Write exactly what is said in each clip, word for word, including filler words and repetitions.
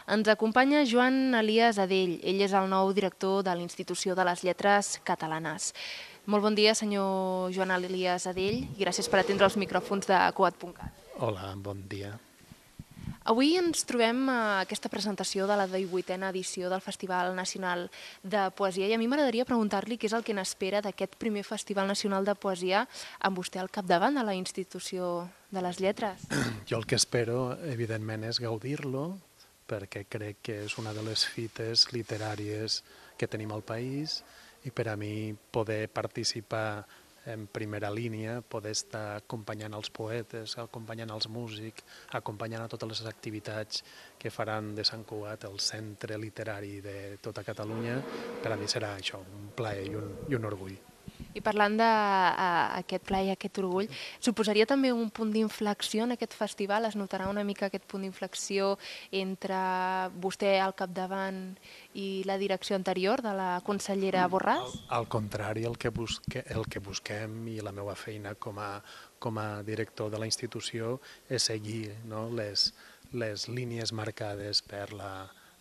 Ens acompanya Joan Elias Adell. Ell és el nou director de l'Institució de les Lletres Catalanes. Molt bon dia, senyor Joan Elias Adell, i gràcies per atendre els micròfons de Coat punt cat. Hola, bon dia. Avui ens trobem a aquesta presentació de la divuitena edició del Festival Nacional de Poesia i a mi m'agradaria preguntar-li què és el que n'espera d'aquest primer Festival Nacional de Poesia amb vostè al capdavant de la Institució de les Lletres. Jo el que espero, evidentment, és gaudir-lo, perquè crec que és una de les fites literàries que tenim al país i per a mi poder participar en primera línia, poder estar acompanyant els poetes, acompanyant els músics, acompanyant a totes les activitats que faran de Sant Cugat el centre literari de tota Catalunya, per a mi serà això, un plaer i un, i un orgull. I parlant d'aquest plaer i aquest orgull, suposaria també un punt d'inflexió en aquest festival? Es notarà una mica aquest punt d'inflexió entre vostè al capdavant i la direcció anterior de la consellera Borràs? Al, al contrari, el que, busque, el que busquem i la meva feina com a, com a director de la institució és seguir, no, les, les línies marcades per la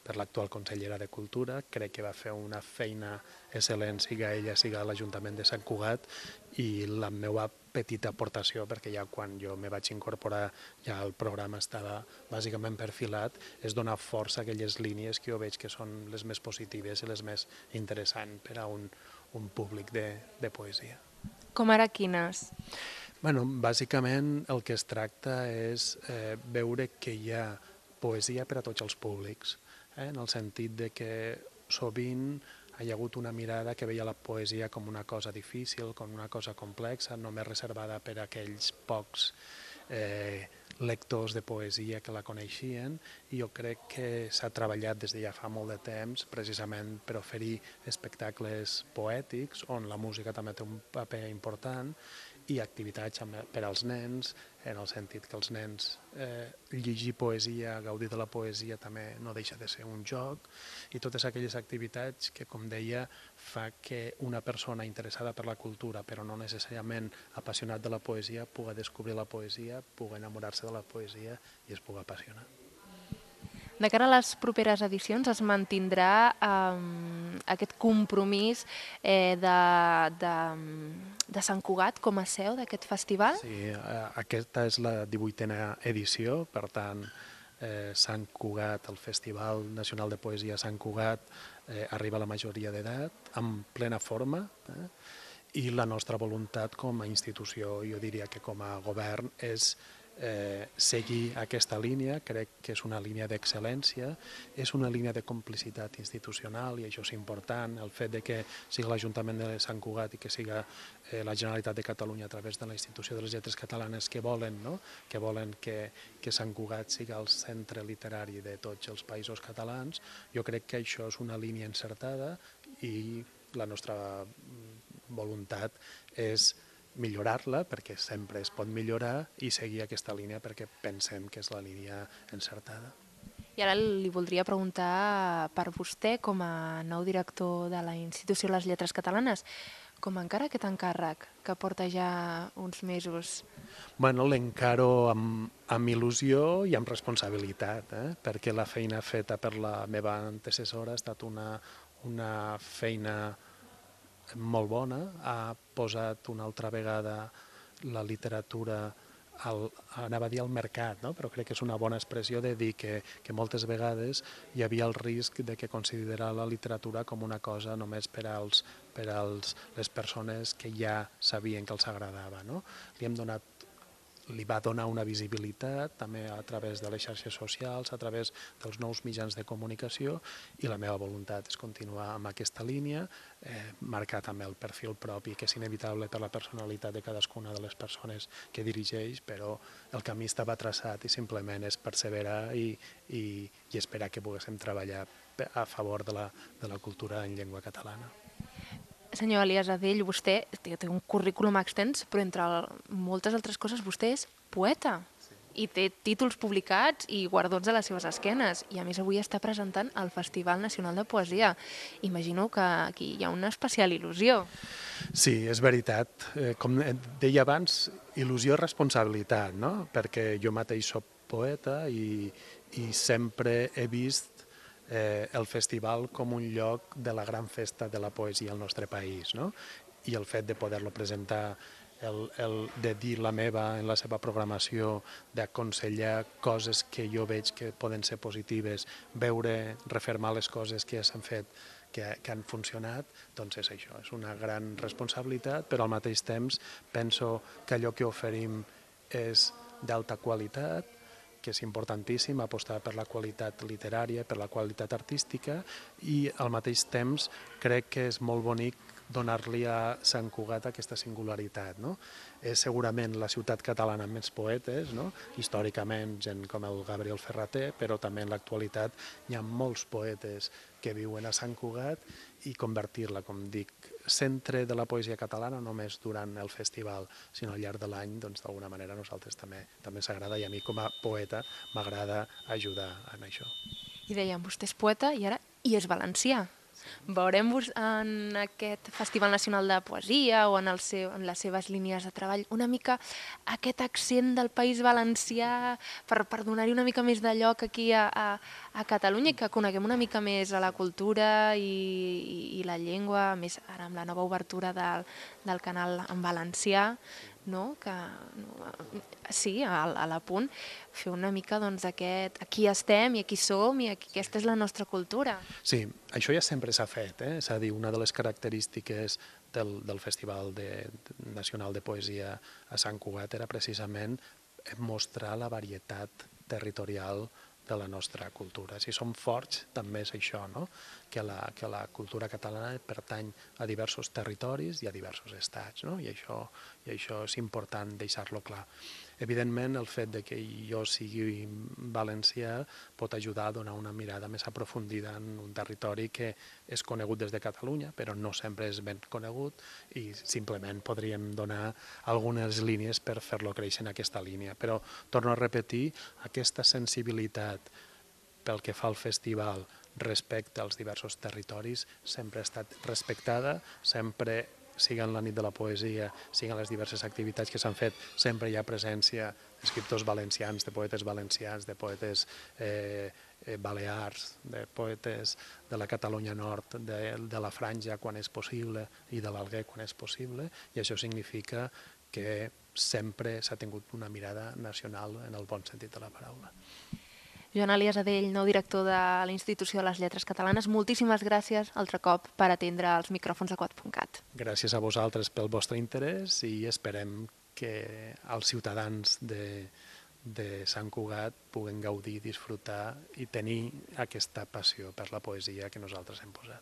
per l'actual consellera de Cultura. Crec que va fer una feina excel·lent, siga ella, siga l'Ajuntament de Sant Cugat, i la meva petita aportació, perquè ja quan jo me vaig incorporar ja el programa estava bàsicament perfilat, és donar força a aquelles línies que jo veig que són les més positives i les més interessants per a un, un públic de, de poesia. Com ara quines? Bueno, bàsicament el que es tracta és eh, veure que hi ha poesia per a tots els públics, eh, en el sentit de que sovint hi ha hagut una mirada que veia la poesia com una cosa difícil, com una cosa complexa, només reservada per a aquells pocs eh, lectors de poesia que la coneixien, i jo crec que s'ha treballat des de ja fa molt de temps precisament per oferir espectacles poètics on la música també té un paper important, i activitats per als nens, en el sentit que els nens eh, llegir poesia, gaudir de la poesia també no deixa de ser un joc, i totes aquelles activitats que, com deia, fa que una persona interessada per la cultura, però no necessàriament apassionat de la poesia, pugui descobrir la poesia, pugui enamorar-se de la poesia i es pugui apassionar. De cara a les properes edicions es mantindrà eh, aquest compromís eh, de, de, de Sant Cugat com a seu d'aquest festival? Sí, aquesta és la divuitena edició, per tant, eh, Sant Cugat, el Festival Nacional de Poesia Sant Cugat, eh, arriba a la majoria d'edat, en plena forma, eh, i la nostra voluntat com a institució, jo diria que com a govern, és Eh, seguir aquesta línia. Crec que és una línia d'excel·lència, és una línia de complicitat institucional, i això és important, el fet de que sigui l'Ajuntament de Sant Cugat i que siga eh, la Generalitat de Catalunya a través de la Institució de les Lletres Catalanes que volen, no? que volen que, que Sant Cugat siga el centre literari de tots els països catalans. Jo crec que això és una línia encertada i la nostra voluntat és millorar-la, perquè sempre es pot millorar, i seguir aquesta línia perquè pensem que és la línia encertada. I ara li voldria preguntar per vostè, com a nou director de la Institució de les Lletres Catalanes, com encara aquest encàrrec que porta ja uns mesos? Bueno, l'encaro amb, amb il·lusió i amb responsabilitat, eh? perquè la feina feta per la meva antecessora ha estat una, una feina molt bona, ha posat una altra vegada la literatura al, anava a dir al mercat, no? Però crec que és una bona expressió de dir que, que moltes vegades hi havia el risc de que considerar la literatura com una cosa només per als, per als les persones que ja sabien que els agradava, no? Li hem donat li va donar una visibilitat també a través de les xarxes socials, a través dels nous mitjans de comunicació, i la meva voluntat és continuar amb aquesta línia, eh, marcar també el perfil propi, que és inevitable per la personalitat de cadascuna de les persones que dirigeix, però el camí estava traçat i simplement és perseverar i, i, i esperar que poguéssim treballar a favor de la, de la cultura en llengua catalana. Senyor Elias Adell, vostè té un currículum extens, però entre moltes altres coses vostè és poeta. Sí. I té títols publicats i guardons a les seves esquenes. I a més avui està presentant el Festival Nacional de Poesia. Imagino que aquí hi ha una especial il·lusió. Sí, és veritat. Com deia abans, il·lusió i responsabilitat, no? Perquè jo mateix soc poeta i, i sempre he vist eh, el festival com un lloc de la gran festa de la poesia al nostre país, no? I el fet de poder-lo presentar, el, el de dir la meva en la seva programació, d'aconsellar coses que jo veig que poden ser positives, veure, refermar les coses que s'han fet, que, que han funcionat, doncs és això, és una gran responsabilitat, però al mateix temps penso que allò que oferim és d'alta qualitat, que és importantíssim apostar per la qualitat literària, per la qualitat artística, i al mateix temps crec que és molt bonic donar-li a Sant Cugat aquesta singularitat. No? És segurament la ciutat catalana amb més poetes, no? Històricament gent com el Gabriel Ferrater, però també en l'actualitat hi ha molts poetes que viuen a Sant Cugat, i convertir-la, com dic, centre de la poesia catalana només durant el festival, sinó al llarg de l'any, doncs d'alguna manera a nosaltres també també s'agrada, i a mi com a poeta m'agrada ajudar en això. I dèiem, vostè és poeta i ara i és valencià. Veurem en aquest Festival Nacional de Poesia o en, el seu, en les seves línies de treball una mica aquest accent del País Valencià per, per donar-hi una mica més de lloc aquí a, a, a Catalunya, i que coneguem una mica més a la cultura i, i, i la llengua, a més ara amb la nova obertura del, del canal en valencià, no? Que, no, sí, a, a la punt, fer una mica doncs, aquest, aquí estem i aquí som i aquí, aquesta és la nostra cultura. Sí, això ja sempre s'ha fet, eh? És a dir, una de les característiques del, del Festival de, Nacional de Poesia a Sant Cugat era precisament mostrar la varietat territorial de la nostra cultura. Si som forts, també és això, no? que, la, que la cultura catalana pertany a diversos territoris i a diversos estats, no? I, això, i això és important deixar-lo clar. Evidentment, el fet de que jo sigui valencià pot ajudar a donar una mirada més aprofundida en un territori que és conegut des de Catalunya, però no sempre és ben conegut, i simplement podríem donar algunes línies per fer-lo créixer en aquesta línia. Però, torno a repetir, aquesta sensibilitat pel que fa al festival respecte als diversos territoris sempre ha estat respectada, sempre, siguin la nit de la poesia, siguin les diverses activitats que s'han fet, sempre hi ha presència d'escriptors valencians, de poetes valencians, de poetes eh, eh, balears, de poetes de la Catalunya Nord, de, de la Franja quan és possible i de l'Alguer quan és possible, i això significa que sempre s'ha tingut una mirada nacional en el bon sentit de la paraula. Joan Elias Adell, nou director de la Institució de les Lletres Catalanes, moltíssimes gràcies altre cop per atendre els micròfons de quat punt cat. Gràcies a vosaltres pel vostre interès, i esperem que els ciutadans de, de Sant Cugat puguen gaudir, disfrutar i tenir aquesta passió per la poesia que nosaltres hem posat.